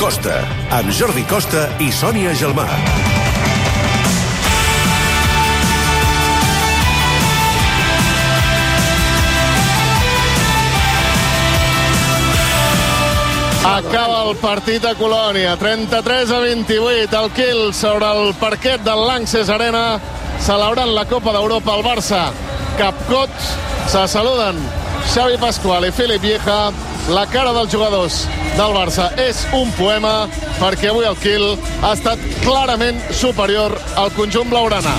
Costa, amb Jordi Costa i Sònia Gelmà. Acaba el partit a Colònia, 33-28, el Kiel sobre el parquet del Lanxess Arena, celebrant la Copa d'Europa al Barça. Capcots, se saluden Xavi Pascual i Philip Vieja. La cara dels jugadors del Barça és un poema, perquè avui el Kiel ha estat clarament superior al conjunt blaugrana.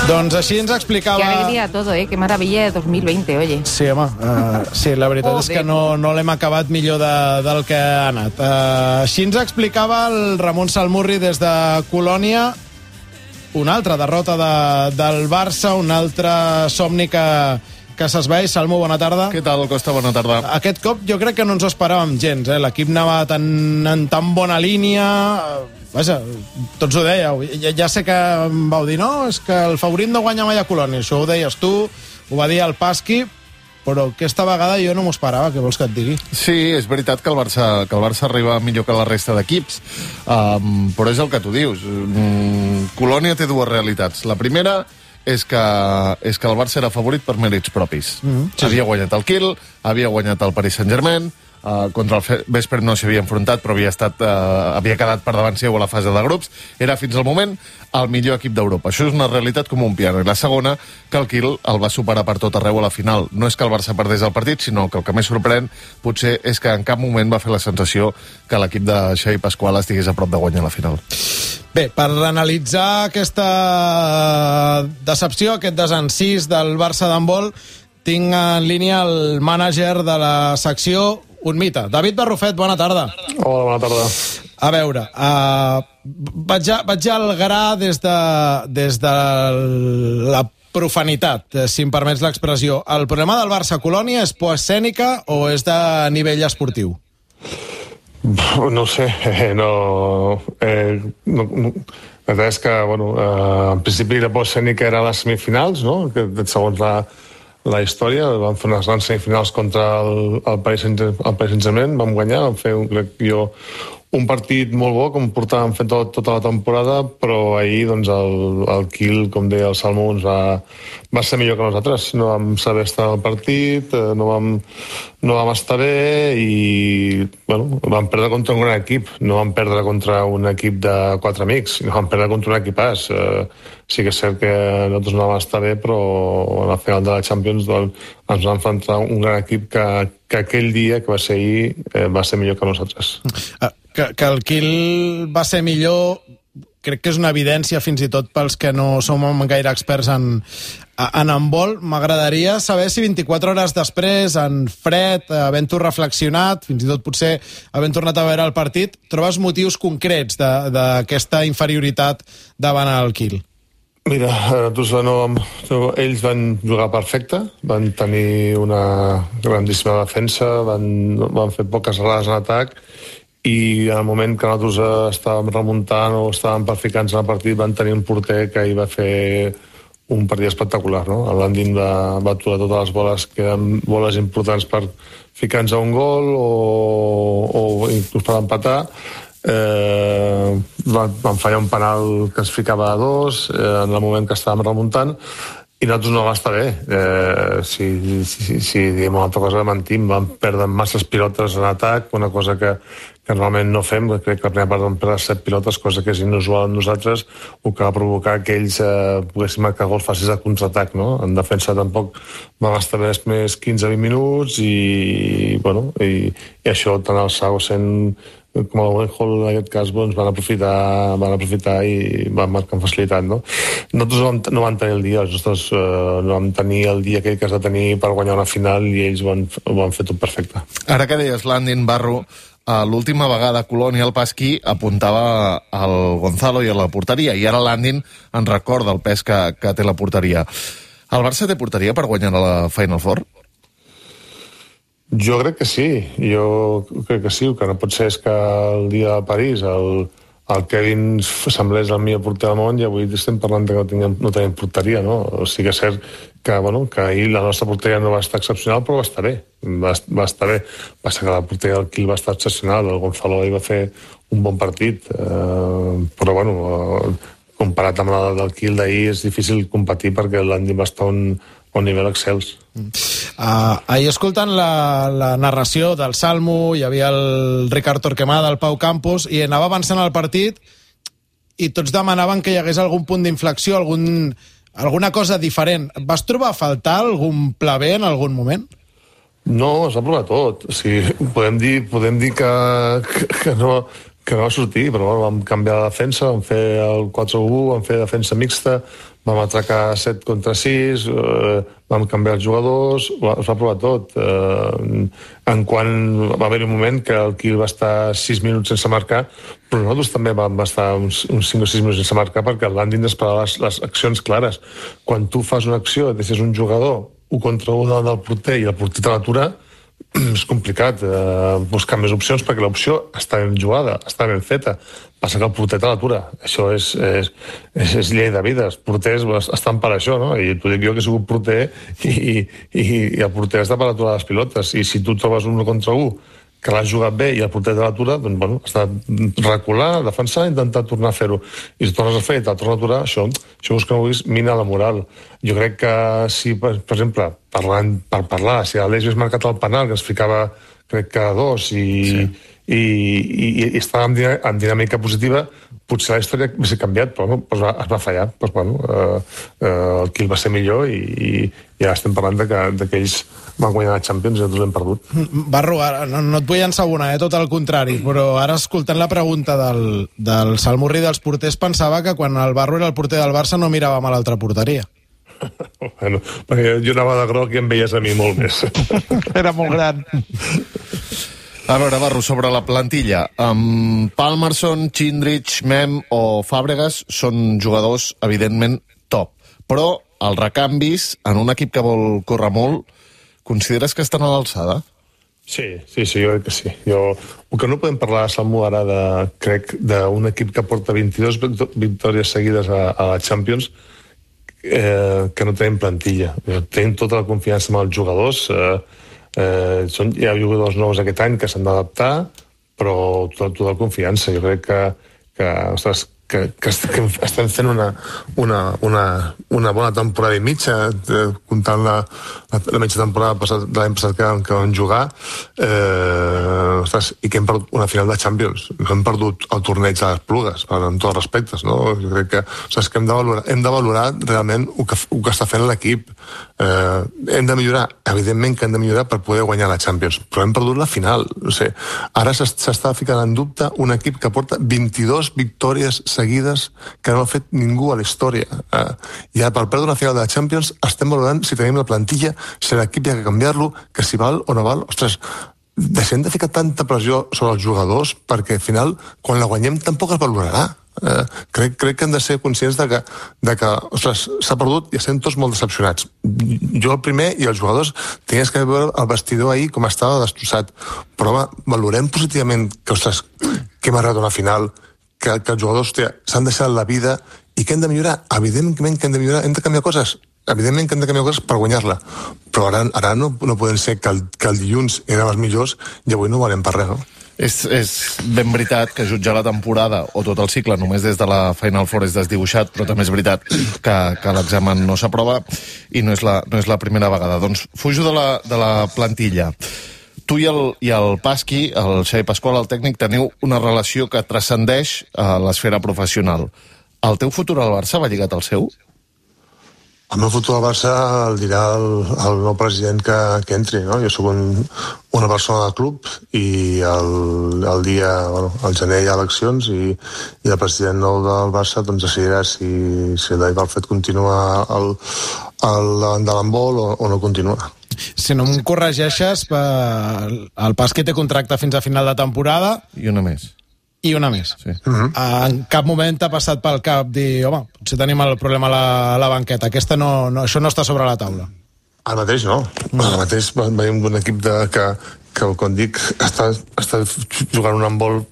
Doncs així ens explicava... Qué alegría todo, qué maravilla de 2020, oye. Sí, home, sí, la veritat és que no l'hem acabat millor del que ha anat. Així ens explicava el Ramon Salmurri des de Colònia. Una altra derrota del Barça, un altre somni que s'esvaeix. Salmo, bona tarda. Què tal, Costa? Bona tarda. Aquest cop jo crec que no ens ho esperàvem gens. L'equip anava en tan bona línia... Vaja, tots ho dèieu. Ja sé que em vau dir, no, és que el favorit no guanya mai a Colònia. Això ho deies tu, ho va dir el Pasqui, però aquesta vegada jo no m'ho esperava, què vols que et digui? Sí, és veritat que el Barça arriba millor que la resta d'equips, però és el que tu dius. Colònia té dues realitats. La primera és que el Barça era favorit per mèrits propis. Sí. Havia guanyat el Kiel, havia guanyat el Paris Saint-Germain, contra el Veszprém no s'havia enfrontat, però havia quedat per davant seu a la fase de grups. Era fins al moment el millor equip d'Europa. Això és una realitat com un piano. I la segona, que el Kiel el va superar per tot arreu a la final. No és que el Barça perdés el partit, sinó que el que més sorprèn potser és que en cap moment va fer la sensació que l'equip de Xavi Pascual estigués a prop de guanyar la final. Bé, per analitzar aquesta decepció, aquest desencís del Barça d'handbol, tinc en línia el mànager de la secció, un mite. David Barrufet, bona tarda. Hola, bona tarda. A veure, vaig al gra des de la profanitat, si em permets l'expressió. El problema del Barça-Colònia és por escènica o és de nivell esportiu? No sé, la veritat és que, en principi la por escènica era a les semifinals, no? Que segons la història, vam fer unes grans semifinals contra el Paris Saint-Germain, vam guanyar, vam fer, crec jo, un partit molt bo, com portàvem fent tota la temporada, però ahir el Kiel, com deia el Salmo, va ser millor que nosaltres. No vam saber estar al partit, no vam estar bé i vam perdre contra un gran equip. No vam perdre contra un equip de 4 amics, no vam perdre contra un equipàs. Sí que és cert que nosaltres no vam estar bé, però a la final de la Champions ens vam enfrontar un gran equip que aquell dia, que va ser ahir, va ser millor que nosaltres. Que el Kiel va ser millor, crec que és una evidència fins i tot pels que no som gaire experts en handbol. M'agradaria saber si 24 hores després, en fred, havent-ho reflexionat, fins i tot potser havent tornat a veure el partit, trobes motius concrets d'aquesta inferioritat davant el Kiel. Mira, ells van jugar perfecte, van tenir una grandíssima defensa, van fer poques errades en atac, i en el moment que nosaltres estàvem remuntant o estàvem per ficar-nos en el partit van tenir un porter que hi va fer un partit espectacular, no? El Landin va aturar totes les boles que eren boles importants per ficar-nos a un gol o inclús per empatar. Van fallar un penal que es ficava a 2 en el moment que estàvem remuntant i nosaltres no va estar bé. Si diem una altra cosa, mentim. Vam perdre masses pilotes en atac, una cosa que normalment no fem. Crec que la primera part vam perdre 7 pilotes, cosa que és inusual en nosaltres, o que va provocar que ells poguessin marcar gols fàcils de contraatac, no? En defensa tampoc vam estar bé més 15-20 minuts i això tant el Sausen com el Wenhol en aquest cas van aprofitar i van marcar amb facilitat, no? Nosaltres no vam tenir el dia, nosaltres no vam tenir el dia aquell que has de tenir per guanyar una final i ells ho van fer tot perfecte. Ara que deies Landin, Barro, l'última vegada Colònia el Pasqui apuntava al Gonzalo i a la porteria, i ara Landin en recorda el pes que té la porteria. El Barça té porteria per guanyar la Final Four? Jo crec que sí, el que no pot ser és que el dia de París el Kevin semblés el millor porter del món i avui estem parlant que no tenim porteria, no? O sigui que és cert que ahir la nostra porteria no va estar excepcional, però va estar bé. Va estar bé. Va ser que la porteria del Kiel va estar excepcional. El Gonzalo ahir va fer un bon partit. Però, comparat amb la del Kiel d'ahir, és difícil competir perquè l'Andy va estar a un nivell excels. Ahir, escoltant la narració del Salmo, hi havia el Ricard Torquemada, el Pau Campos, i anava avançant el partit i tots demanaven que hi hagués algun punt d'inflexió, alguna cosa diferent. Vas trobar a faltar algun pla B en algun moment? No, es va provar tot. O sigui, podem dir que no va sortir, però vam canviar la defensa, vam fer el 4-1, vam fer defensa mixta, vam atracar 7 contra 6, vam canviar els jugadors, es va provar tot. En quan va haver un moment que el Kiel va estar 6 minuts sense marcar, però nosaltres també vam estar uns 5 o 6 minuts sense marcar perquè el Landin esperava les accions clares. Quan tu fas una acció, deixes un jugador 1 contra 1 davant del porter i el porter te l'atura, és complicat buscar més opcions perquè l'opció està ben jugada, està ben feta. Passa que el porter te l'atura. Això és llei de vida. Els porters estan per això, no? I t'ho dic jo que he sigut porter i el porter està per aturar les pilotes. I si tu trobes 1 contra 1 que l'has jugat bé i el porter de l'atura, doncs, has de recular, defensar i intentar tornar a fer-ho. I si tornes a fer i te'l tornes a aturar, això és que no vulguis, mina la moral. Jo crec que si, per exemple, per parlar, si l'Aleix hagués marcat el penal, que ens ficava, crec que 2, i estava en dinàmica positiva, potser la història hauria canviat, però es va fallar. El Kiel va ser millor i ja estem parlant que ells van guanyar la Champions i nosaltres l'hem perdut. Barro, no et vull ensabonar, tot el contrari, però ara escoltant la pregunta del Salmurri dels porters pensava que quan el Barro era el porter del Barça no miràvem a l'altra porteria. Perquè jo anava de groc i em veies a mi molt més. Era molt gran. A veure, Barro, sobre la plantilla. Palmerson, Chindrich, Mem o Fàbregas són jugadors, evidentment, top. Però els recanvis, en un equip que vol córrer molt, consideres que estan a l'alçada? Sí, jo crec que sí. El que no podem parlar, Salmo, ara crec d'un equip que porta 22 victòries seguides a la Champions, que no tenim plantilla. Tenim tota la confiança en els jugadors. Hi ha jugadors nous aquest any que s'han d'adaptar, però tota la confiança. Jo crec que estem fent una bona temporada i mitja, comptant la mitja temporada de l'any passat que vam jugar, i que hem perdut una final de Champions. No hem perdut el torneig de les Plugues, amb tots els respectes, no? Jo crec que hem de valorar realment el que està fent l'equip. Hem de millorar, evidentment que hem de millorar per poder guanyar la Champions, però hem perdut la final. No sé, ara s'està ficant en dubte un equip que porta 22 victòries seguides que no ha fet ningú a la història. Ja per perdre una final de la Champions estem valorant si tenim la plantilla, si l'equip hi ha que canviar-lo, que si val o no val. Ostres, deixem de ficar tanta pressió sobre els jugadors perquè al final, quan la guanyem, tampoc es valorarà. Crec que hem de ser conscients de que ostres, s'ha perdut i estem tots molt decepcionats. Jo el primer i els jugadors tenies que veure el vestidor ahir com estava destrossat, però valorem positivament que hem arribat a una final, que els jugadors s'han deixat la vida i que hem de millorar. Evidentment que hem de millorar, hem de canviar coses. Evidentment que hem de canviar coses per guanyar-la, però ara no podem ser que el dilluns érem els millors i avui no valem per res, no? És ben veritat que jutjar la temporada o tot el cicle només des de la Final Four és desdibuixat, però també és veritat que l'examen no s'aprova i no és la primera vegada. Doncs fujo de la plantilla. Tu i el Pasqui, el Xavi Pasqual, el tècnic, teniu una relació que transcendeix a l'esfera professional. El teu futur al Barça va lligat al seu? El meu futur al Barça el dirà el nou president que entri, no? Jo soc una persona del club i el dia, al gener hi ha eleccions i el president nou del Barça doncs decidirà si l'Aiva Alfred continua al davant de l'handbol o no continua. Si no em corregeixes, el Pasqui té contracte fins a final de temporada. I una més. I una més. Sí. En cap moment t'ha passat pel cap dir, home, potser tenim el problema a la banqueta. Això no està sobre la taula. Ara mateix no. Ara mateix veiem un equip que com dic, està jugant un handbol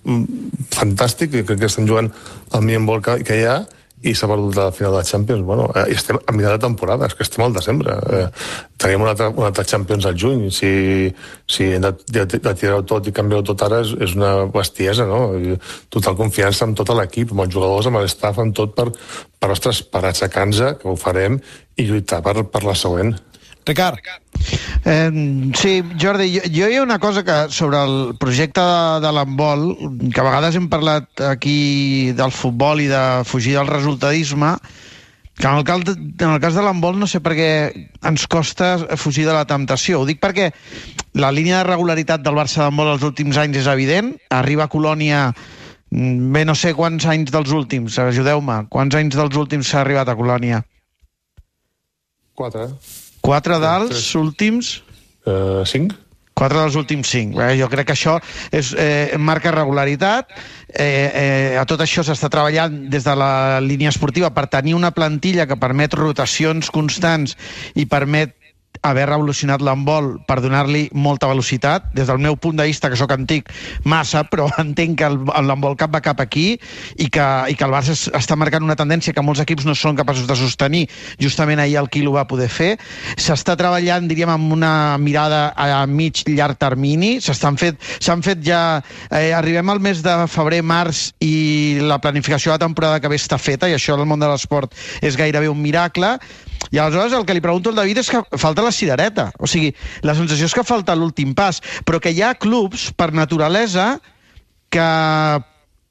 fantàstic, i crec que estan jugant el millor handbol que hi ha, i s'ha perdut la final de la Champions. Bueno, i estem a mitjà de temporada, és que estem al desembre. Tenim una altra Champions al juny. Si hem de tirar-ho tot i canviar-ho tot ara és una bestiesa, no? Total confiança amb tot l'equip, amb els jugadors, amb l'staff, amb tot per aixecar-nos, que ho farem, i lluitar per la següent. Ricard. Sí, Jordi, jo hi ha una cosa que sobre el projecte de l'handbol, que a vegades hem parlat aquí del futbol i de fugir del resultadisme, que en el cas de l'handbol no sé per què ens costa fugir de la temptació. Ho dic perquè la línia de regularitat del Barça d'handbol els últims anys és evident. Arriba a Colònia, bé, no sé quants anys dels últims, ajudeu-me, quants anys dels últims s'ha arribat a Colònia? 4 dels últims? 5? 4 dels últims 5. Jo crec que això marca regularitat. A tot això s'està treballant des de la línia esportiva per tenir una plantilla que permet rotacions constants i permet haver revolucionat l'handbol per donar-li molta velocitat. Des del meu punt de vista, que sóc antic, massa, però entenc que l'handbol cap va cap aquí i que el Barça està marcant una tendència que molts equips no són capaços de sostenir. Justament ahir el Quil ho va poder fer. S'està treballant, diríem, amb una mirada a mig llarg termini. S'han fet ja... arribem al mes de febrer, març, i la planificació de la temporada que ve està feta, i això en el món de l'esport és gairebé un miracle. I aleshores el que li pregunto al David és que falta la cirereta. O sigui, la sensació és que falta l'últim pas, però que hi ha clubs, per naturalesa, que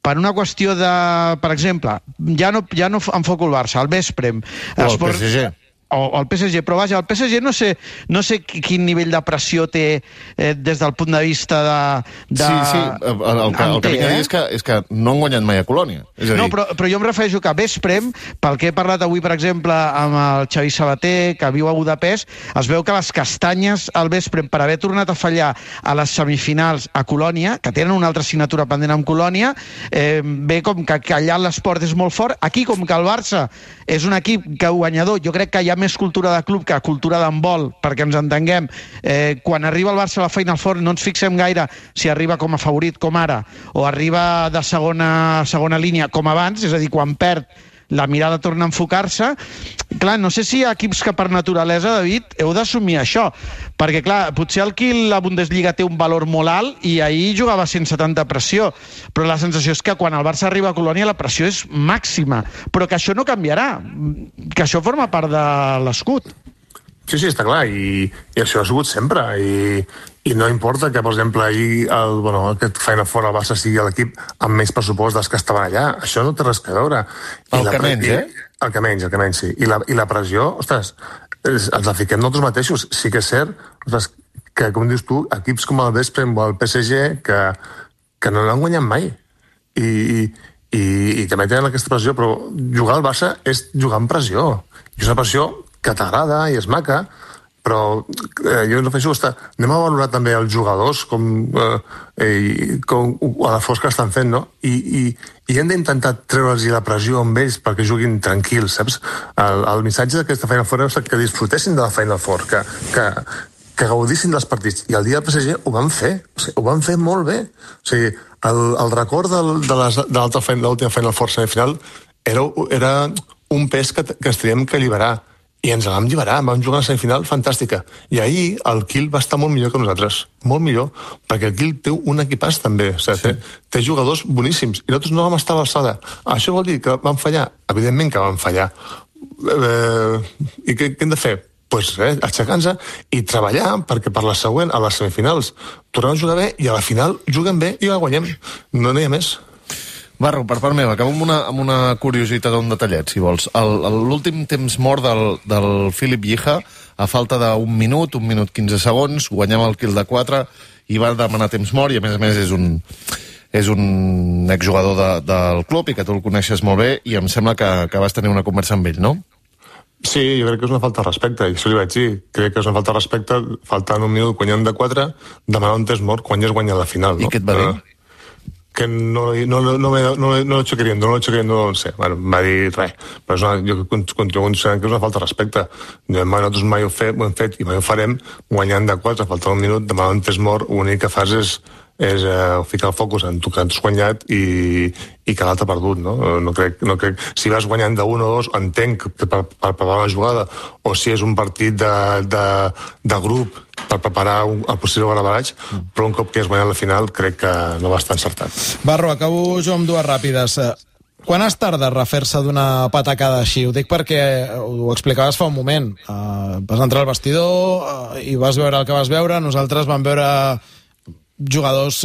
per una qüestió de... Per exemple, ja no enfoco el Barça, el Vesprem... O el PSG. O el PSG, però vaja, el PSG no sé quin nivell de pressió té des del punt de vista de... Sí, el que vinc a dir és que no han guanyat mai a Colònia. No, però jo em refereixo que a Vesprem, pel que he parlat avui, per exemple, amb el Xavi Sabater, que viu a Budapest, es veu que les castanyes al Vesprem, per haver tornat a fallar a les semifinals a Colònia, que tenen una altra assignatura pendent amb Colònia, ve com que allà l'esport és molt fort. Aquí, com que el Barça és un equip guanyador, jo crec que hi ha més cultura de club que cultura d'handbol, perquè ens entenguem. Quan arriba el Barça a la Final Four no ens fixem gaire si arriba com a favorit, com ara, o arriba de segona línia, com abans, és a dir, quan perd la mirada torna a enfocar-se. Clar, no sé si hi ha equips que per naturalesa, David, heu d'assumir això, perquè clar, potser el Kiel la Bundesliga té un valor molt alt i ahir jugava sense tanta pressió, però la sensació és que quan el Barça arriba a Colònia la pressió és màxima, però que això no canviarà, que això forma part de l'escut. Sí, està clar, i això ha sigut sempre, i no importa que, per exemple, ahir aquest Final Four al Barça sigui l'equip amb menys pressupost dels que estaven allà. Això no té res a veure. El que menys, El que menys, sí. I la pressió, ostres, ens la fiquem nosaltres mateixos. Sí que és cert, ostres, que, com dius tu, equips com el Vesprem o el PSG que no l'han guanyat mai. I també tenen aquesta pressió, però jugar al Barça és jugar amb pressió. I és una pressió que t'agrada i és maca, però jo no penso que anem a valorar també els jugadors com a l'esforç que estan fent, no? I hem d'intentar treure'ls la pressió amb ells perquè juguin tranquils, saps? El missatge d'aquesta Final Four és que disfrutessin de la Final Four, que gaudissin dels partits. I el dia del PSG ho van fer, ho van fer molt bé. O sigui, el record de l'última Final Four semifinal era un pes que ens teníem que alliberar. I ens la vam alliberar, vam jugar a la semifinal fantàstica. I ahir el Kiel va estar molt millor que nosaltres, molt millor, perquè el Kiel té un equipàs també, o sigui, té jugadors boníssims, i nosaltres no vam estar a l'alçada. Això vol dir que vam fallar? Evidentment que vam fallar. I què hem de fer? Doncs aixecar-nos i treballar perquè per la següent, a les semifinals, tornem a jugar bé i a la final juguem bé i la guanyem. No n'hi ha més. Barro, per part meva, acabo amb una curiositat o un detallet, si vols. L'últim temps mort del Philip Yija, a falta d'un minut 15 segons, guanyava el Kiel de 4 i va demanar temps mort, i a més és un exjugador del club i que tu el coneixes molt bé, i em sembla que vas tenir una conversa amb ell, no? Sí, jo crec que és una falta de respecte, i això li vaig dir. Crec que és una falta de respecte, faltant un minut, guanyant de 4, demanar un temps mort quan ja has guanyat la final, no? I què et va dir? Que no lo hecho queriendo, no sé. Bueno, em va dir res. Però jo continuo considerant que és una falta de respecte. Nosaltres mai ho hem fet i mai ho farem guanyant de 4, faltant un minut, demanar un temps mort, l'únic que fas és ficar el focus en tu que has guanyat i que l'altre ha perdut, no? No crec, si vas guanyant de 1 o 2, entenc que per preparar una jugada, o si és un partit de grup per preparar el possible barabaraig, però un cop que has guanyat la final crec que no va estar encertat. Barro, acabo jo amb 2 ràpides. Quan es tarda a refer-se d'una patacada així? Ho dic perquè ho explicaves fa un moment. Vas entrar al vestidor i vas veure el que vas veure. Nosaltres vam veure jugadors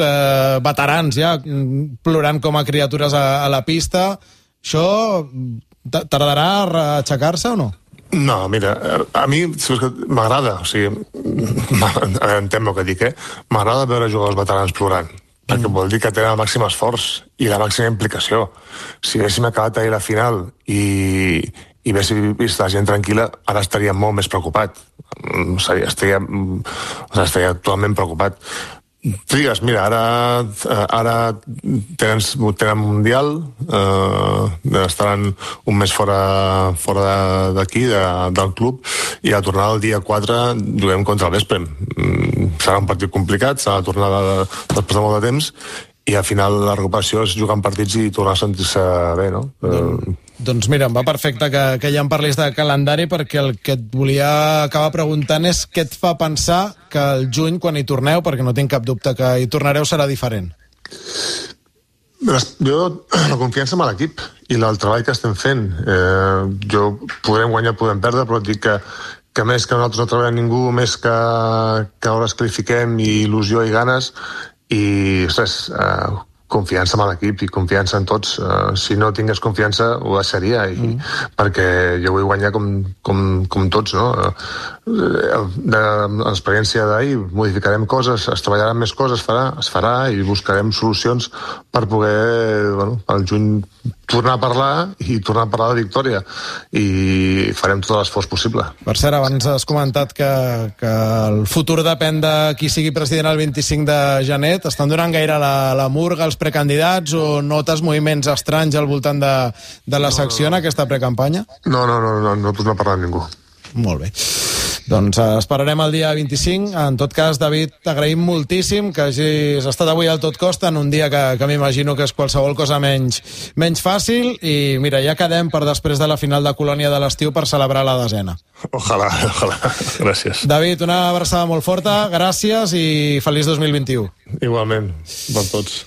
veterans ja plorant com a criatures a la pista. Això tardarà a aixecar-se o no? No, mira, a mi m'agrada, o sigui, entenc el que dic, m'agrada veure jugadors veterans plorant, perquè vol dir que tenen el màxim esforç i la màxima implicació. Si haguéssim acabat ahir la final i haguéssim vist la gent tranquil·la, ara estaria molt més preocupat. Estaria totalment preocupat. Trigues, mira, ara tenen Mundial, estaran un mes fora d'aquí, del club, i a tornar el dia 4 juguem contra el Veszprém. Serà un partit complicat, serà la tornada després de molt de temps, i al final la recuperació és jugar en partits i tornar a sentir-se bé, no? Doncs mira, em va perfecte que ja em parlis de calendari, perquè el que et volia acabar preguntant és què et fa pensar que el juny, quan hi torneu, perquè no tinc cap dubte que hi tornareu, serà diferent. Jo, la confiança amb l'equip i el treball que estem fent. Podrem guanyar, podem perdre, però et dic que més que nosaltres no treballem ningú, més que hores que li fiquem i il·lusió i ganes, i res, confiança amb l'equip i confiança en tots. Si no tingués confiança ho deixaria, perquè jo vull guanyar com tots, no? De l'experiència d'ahir modificarem coses, es treballaran més coses, es farà i buscarem solucions per poder, al juny, tornar a parlar de victòria, i farem tot l'esforç possible. Per cert, abans has comentat que el futur depèn de qui sigui president el 25 de gener. T'estan donant gaire la murga els precandidats o notes moviments estranys al voltant de la secció en aquesta precampanya? No torna a parlar amb ningú. Molt bé. Doncs esperarem el dia 25. En tot cas, David, t'agraïm moltíssim que hagis estat avui al Tot Costa en un dia que m'imagino que és qualsevol cosa menys fàcil, i mira, ja quedem per després de la final de Colònia de l'estiu per celebrar la 10ª. Ojalà. Gràcies. David, una abraçada molt forta, gràcies i feliç 2021. Igualment, per tots.